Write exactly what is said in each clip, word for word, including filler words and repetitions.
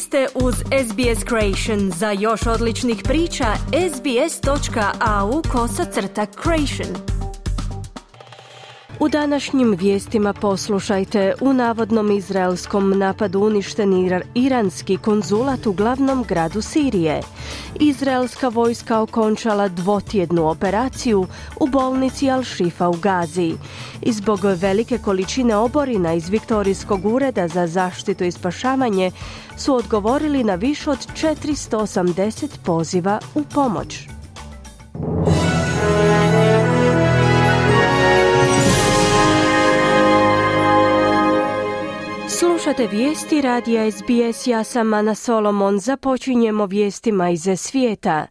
ste uz S B S Creation. Za još odličnih priča, sbs.au kosacrta creation. U današnjim vijestima poslušajte: u navodnom izraelskom napadu uništen ir- iranski konzulat u glavnom gradu Sirije. Izraelska vojska okončala dvotjednu operaciju u bolnici Al-Shifa u Gazi. I zbog velike količine oborina iz Viktorijskog ureda za zaštitu i spašavanje su odgovorili na više od četiristo osamdeset poziva u pomoć. Slušate vijesti radija S B S, ja sam Ana Solomon. Započinjemo vijestima iz svijeta.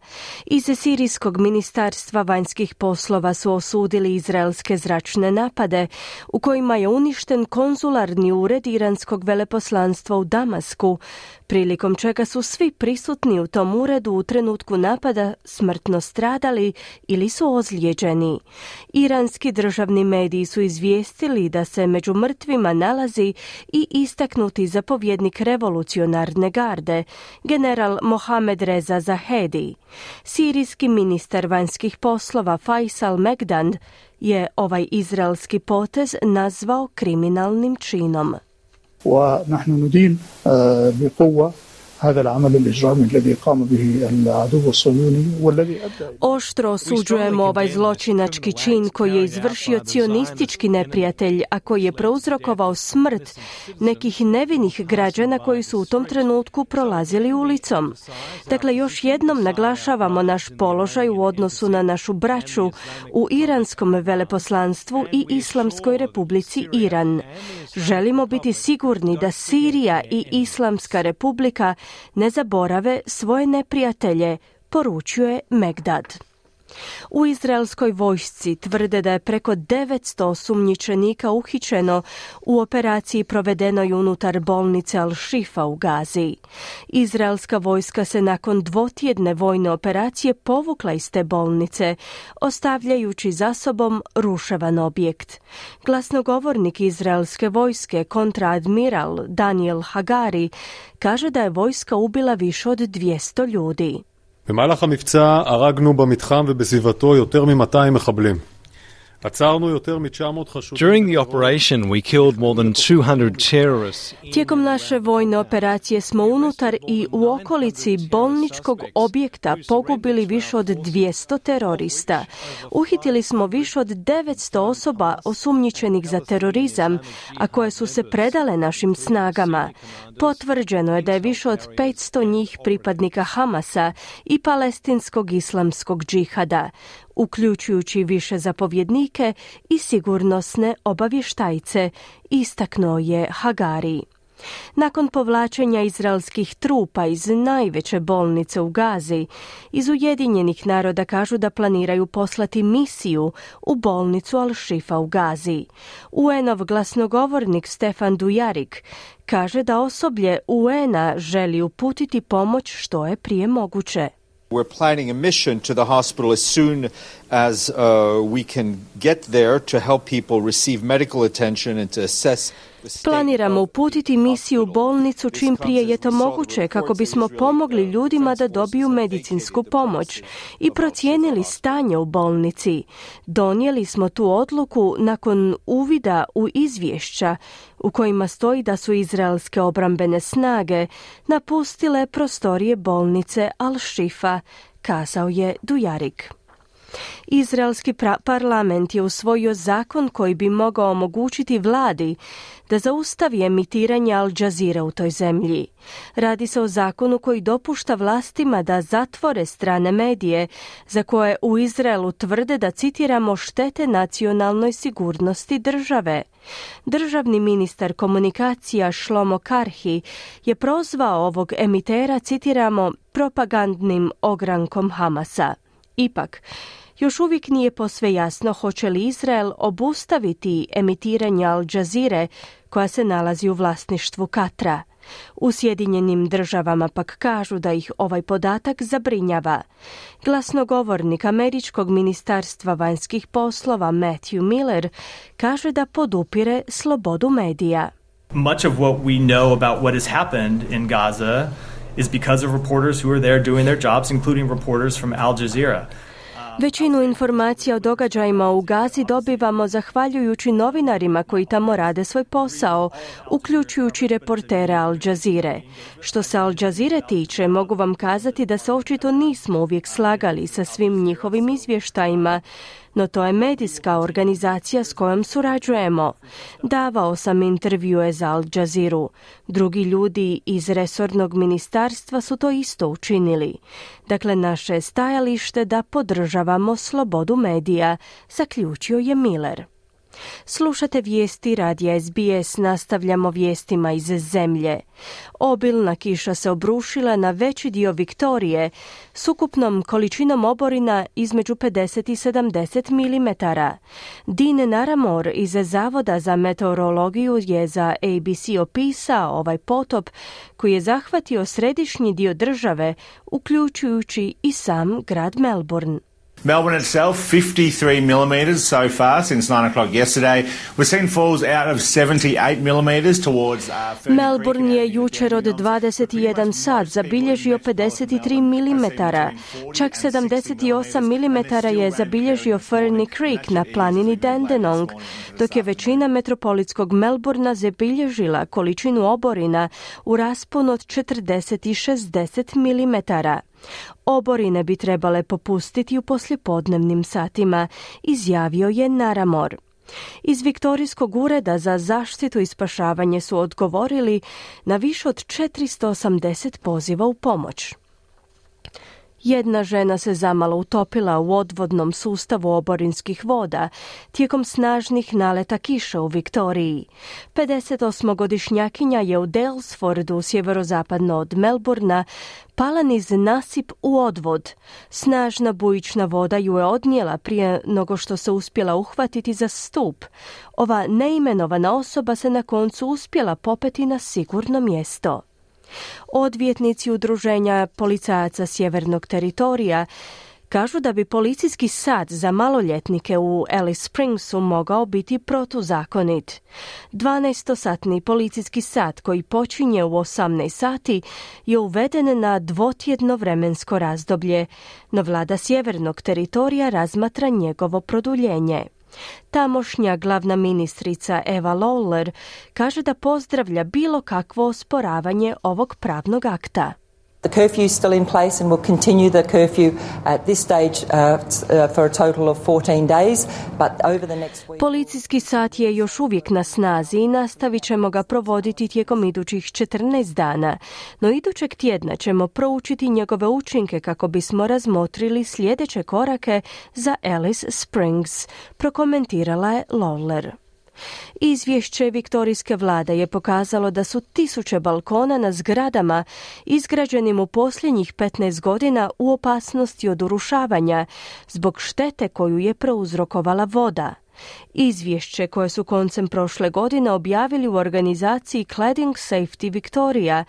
Iz Sirijskog ministarstva vanjskih poslova su osudili izraelske zračne napade u kojima je uništen konzularni ured iranskog veleposlanstva u Damasku, prilikom čega su svi prisutni u tom uredu u trenutku napada smrtno stradali ili su ozlijeđeni. Iranski državni mediji su izvijestili da se među mrtvima nalazi i istaknuti zapovjednik revolucionarne garde, general Mohamed Reza Zahedi. Sirijski ministar vanjskih poslova Faisal Megdand je ovaj izraelski potez nazvao kriminalnim činom. ونحن ندين بقوة هذا العمل الإجرامي الذي قام به العدو الصهيوني والذي أدى. Oštro osuđujemo ovaj zločinački čin koji je izvršio cionistički neprijatelj, a koji je prouzrokovao smrt nekih nevinih građana koji su u tom trenutku prolazili ulicom. Dakle, još jednom naglašavamo naš položaj u odnosu na našu braću u iranskom veleposlanstvu i Islamskoj republici Iran. Želimo biti sigurni da Sirija i Islamska republika ne zaborave svoje neprijatelje, poručuje Megdad. U izraelskoj vojsci tvrde da je preko devetsto osumnjičenika uhićeno u operaciji provedenoj unutar bolnice Al-Shifa u Gazi. Izraelska vojska se nakon dvotjedne vojne operacije povukla iz te bolnice, ostavljajući za sobom ruševan objekt. Glasnogovornik izraelske vojske, kontraadmiral Daniel Hagari, kaže da je vojska ubila više od dvjesto ljudi. במהלך המבצע הרגנו במתחם ובסביבתו יותר מ-מאתיים מחבלים. עצרנו יותר מ-תשע מאות חשודים. During the operation we killed more than two hundred terrorists. Tijekom naše vojne operacije smo unutar i u okolici bolničkog objekta pogubili više od dvjesto terorista. Uhitili smo više od devetsto osoba osumnjičenih za terorizam, a koje su se predale našim snagama. Potvrđeno je da je više od petsto njih pripadnika Hamasa i palestinskog islamskog džihada, uključujući više zapovjednike i sigurnosne obavještajce, istaknuo je Hagari. Nakon povlačenja izraelskih trupa iz najveće bolnice u Gazi, iz Ujedinjenih naroda kažu da planiraju poslati misiju u bolnicu Al-Shifa u Gazi. U en-ov glasnogovornik Stefan Dujarik kaže da osoblje U N-a želi uputiti pomoć što je prije moguće. We're planning a mission to the hospital as soon as uh, we can get there to help people receive medical attention and to assess. Planiramo uputiti misiju u bolnicu čim prije je to moguće kako bismo pomogli ljudima da dobiju medicinsku pomoć i procijenili stanje u bolnici. Donijeli smo tu odluku nakon uvida u izvješća u kojima stoji da su izraelske obrambene snage napustile prostorije bolnice Al-Shifa, kazao je Dujarik. Izraelski pra- parlament je usvojio zakon koji bi mogao omogućiti vladi da zaustavi emitiranje Al Jazeera u toj zemlji. Radi se o zakonu koji dopušta vlastima da zatvore strane medije za koje u Izraelu tvrde da, citiramo, štete nacionalnoj sigurnosti države. Državni ministar komunikacija Shlomo Karhi je prozvao ovog emitera, citiramo, propagandnim ogrankom Hamasa. Ipak, još uvijek nije posve jasno hoće li Izrael obustaviti emitiranje Al Jazeere koja se nalazi u vlasništvu Katra. U Sjedinjenim državama pak kažu da ih ovaj podatak zabrinjava. Glasnogovornik Američkog ministarstva vanjskih poslova Matthew Miller kaže da podupire slobodu medija. Much of what we know about what has happened in Gaza is because of reporters who are there doing their jobs, including reporters from Al Jazeera. Većinu informacija o događajima u Gazi dobivamo zahvaljujući novinarima koji tamo rade svoj posao, uključujući reportere Al Jazeere. Što se Al Jazeere tiče, mogu vam kazati da se očito nismo uvijek slagali sa svim njihovim izvještajima, no to je medijska organizacija s kojom surađujemo. Davao sam intervjue za Al Jazeeru. Drugi ljudi iz resornog ministarstva su to isto učinili. Dakle, naše je stajalište da podržavamo slobodu medija, zaključio je Miller. Slušate vijesti radija S B S, nastavljamo vijestima iz zemlje. Obilna kiša se obrušila na veći dio Viktorije s ukupnom količinom oborina između pedeset i sedamdeset milimetara. Dean Naramore iz Zavoda za meteorologiju je za A B C opisao ovaj potop koji je zahvatio središnji dio države, uključujući i sam grad Melbourne. Melbourne itself, fifty-three millimetres so far since nine o'clock yesterday. We've seen falls out of seventy-eight millimetres towards... Uh, Melbourne je jučer od dvadeset i jedan sat zabilježio pedeset tri milimetara. Čak sedamdeset osam milimetara je zabilježio Ferny Creek na planini Dandenong, dok je većina metropolitskog Melbourna zabilježila količinu oborina u rasponu od četrdeset i šezdeset milimetara. Oborine bi trebale popustiti u poslijepodnevnim satima, izjavio je Naramore. Iz Viktorijskog ureda za zaštitu i spašavanje su odgovorili na više od četiristo osamdeset poziva u pomoć. Jedna žena se zamalo utopila u odvodnom sustavu oborinskih voda tijekom snažnih naleta kiša u Viktoriji. pedesetosmogodišnjakinja je u Daylesfordu, sjeverozapadno od Melbourna, pala niz nasip u odvod. Snažna bujična voda ju je odnijela prije nego što se uspjela uhvatiti za stup. Ova neimenovana osoba se na koncu uspjela popeti na sigurno mjesto. Odvjetnici udruženja policajaca Sjevernog teritorija kažu da bi policijski sat za maloljetnike u Alice Springsu mogao biti protuzakonit. dvanaestosatni policijski sat koji počinje u osamnaest sati je uveden na dvotjedno vremensko razdoblje, no vlada Sjevernog teritorija razmatra njegovo produljenje. Tamošnja glavna ministrica Eva Lawler kaže da pozdravlja bilo kakvo osporavanje ovog pravnog akta. The curfew is still in place and will continue the curfew at this stage uh, for a total of fourteen days, but over the next week... Policijski sat je još uvijek na snazi i nastavit ćemo ga provoditi tijekom idućih četrnaest dana, no idućeg tjedna ćemo proučiti njegove učinke kako bismo razmotrili sljedeće korake za Alice Springs, prokomentirala je Lawler. Izvješće viktorijske vlade je pokazalo da su tisuće balkona na zgradama izgrađenim u posljednjih petnaest godina u opasnosti od urušavanja zbog štete koju je prouzrokovala voda. Izvješće koje su koncem prošle godine objavili u organizaciji Cladding Safety Victoria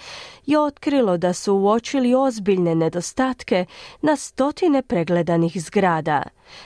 je otkrilo da su uočili ozbiljne nedostatke na stotine pregledanih zgrada.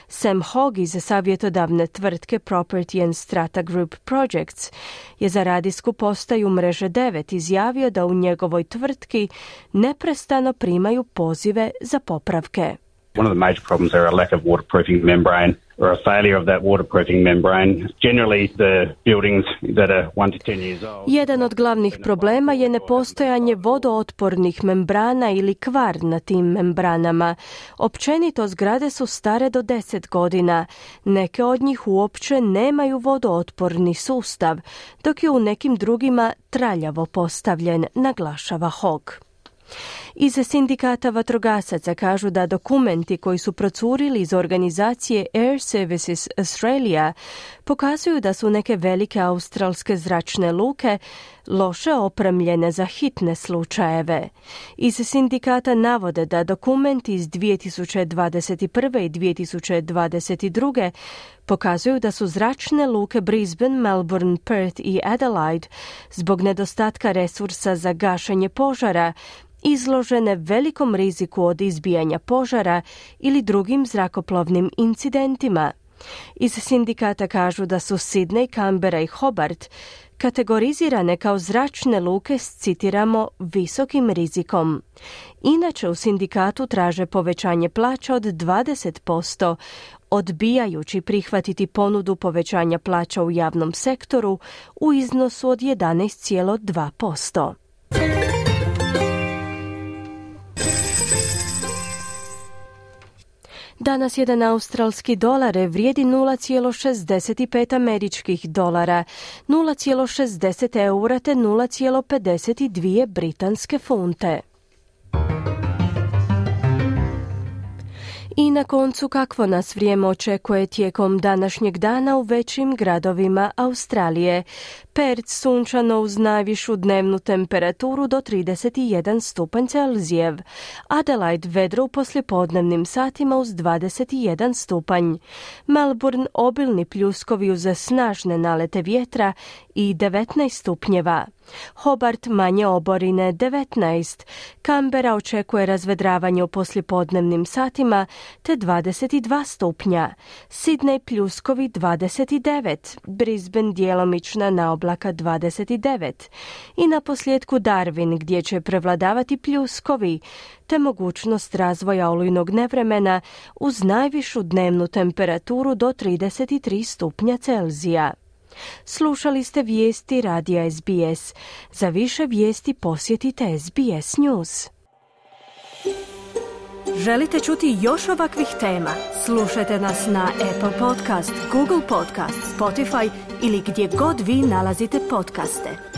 Sam Hogg iz savjetodavne tvrtke Property and Strata Group Projects je za radijsku postaju Mreže devet izjavio da u njegovoj tvrtki neprestano primaju pozive za popravke. One of the major problems are a lack of waterproofing membrane or a failure of that waterproofing membrane. Generally, the buildings that are one to ten years old. Jedan od glavnih problema je nepostojanje vodootpornih membrana ili kvar na tim membranama. Općenito zgrade su stare do deset godina. Neke od njih uopće nemaju vodootporni sustav, dok je u nekim drugima traljavo postavljen, naglašava Hogg. Iz sindikata vatrogasaca kažu da dokumenti koji su procurili iz organizacije Air Services Australia pokazuju da su neke velike australske zračne luke loše opremljene za hitne slučajeve. Iz sindikata navode da dokumenti iz dvije tisuće dvadeset prve i dvije tisuće dvadeset druge pokazuju da su zračne luke Brisbane, Melbourne, Perth i Adelaide zbog nedostatka resursa za gašenje požara izložene velikom riziku od izbijanja požara ili drugim zrakoplovnim incidentima. Iz sindikata kažu da su Sydney, Canberra i Hobart kategorizirane kao zračne luke s, citiramo, visokim rizikom. Inače u sindikatu traže povećanje plaća od dvadeset posto, odbijajući prihvatiti ponudu povećanja plaća u javnom sektoru u iznosu od jedanaest zarez dva posto. Danas jedan australski dolar vrijedi nula zarez šezdeset pet američkih dolara, nula zarez šezdeset eura te nula zarez pedeset dvije britanske funte. I na koncu, kakvo nas vrijeme očekuje tijekom današnjeg dana u većim gradovima Australije. Perth sunčano uz najvišu dnevnu temperaturu do trideset jedan stupanj Celzijev. Adelaide vedro u poslijepodnevnim satima uz dvadeset jedan stupanj. Melbourne obilni pljuskovi uz snažne nalete vjetra i devetnaest stupnjeva. Hobart manje oborine devetnaest. Canberra očekuje razvedravanje u poslijepodnevnim satima te dvadeset dva stupnja. Sydney pljuskovi dvadeset devet. Brisbane djelomična naoblaka dvadeset devet. I na posljedku Darwin gdje će prevladavati pljuskovi te mogućnost razvoja olujnog nevremena uz najvišu dnevnu temperaturu do trideset tri stupnja Celzija. Slušali ste vijesti radija S B S. Za više vijesti posjetite S B S News. Želite čuti još ovakvih tema? Slušajte nas na Apple Podcast, Google Podcast, Spotify ili gdje god vi nalazite podcaste.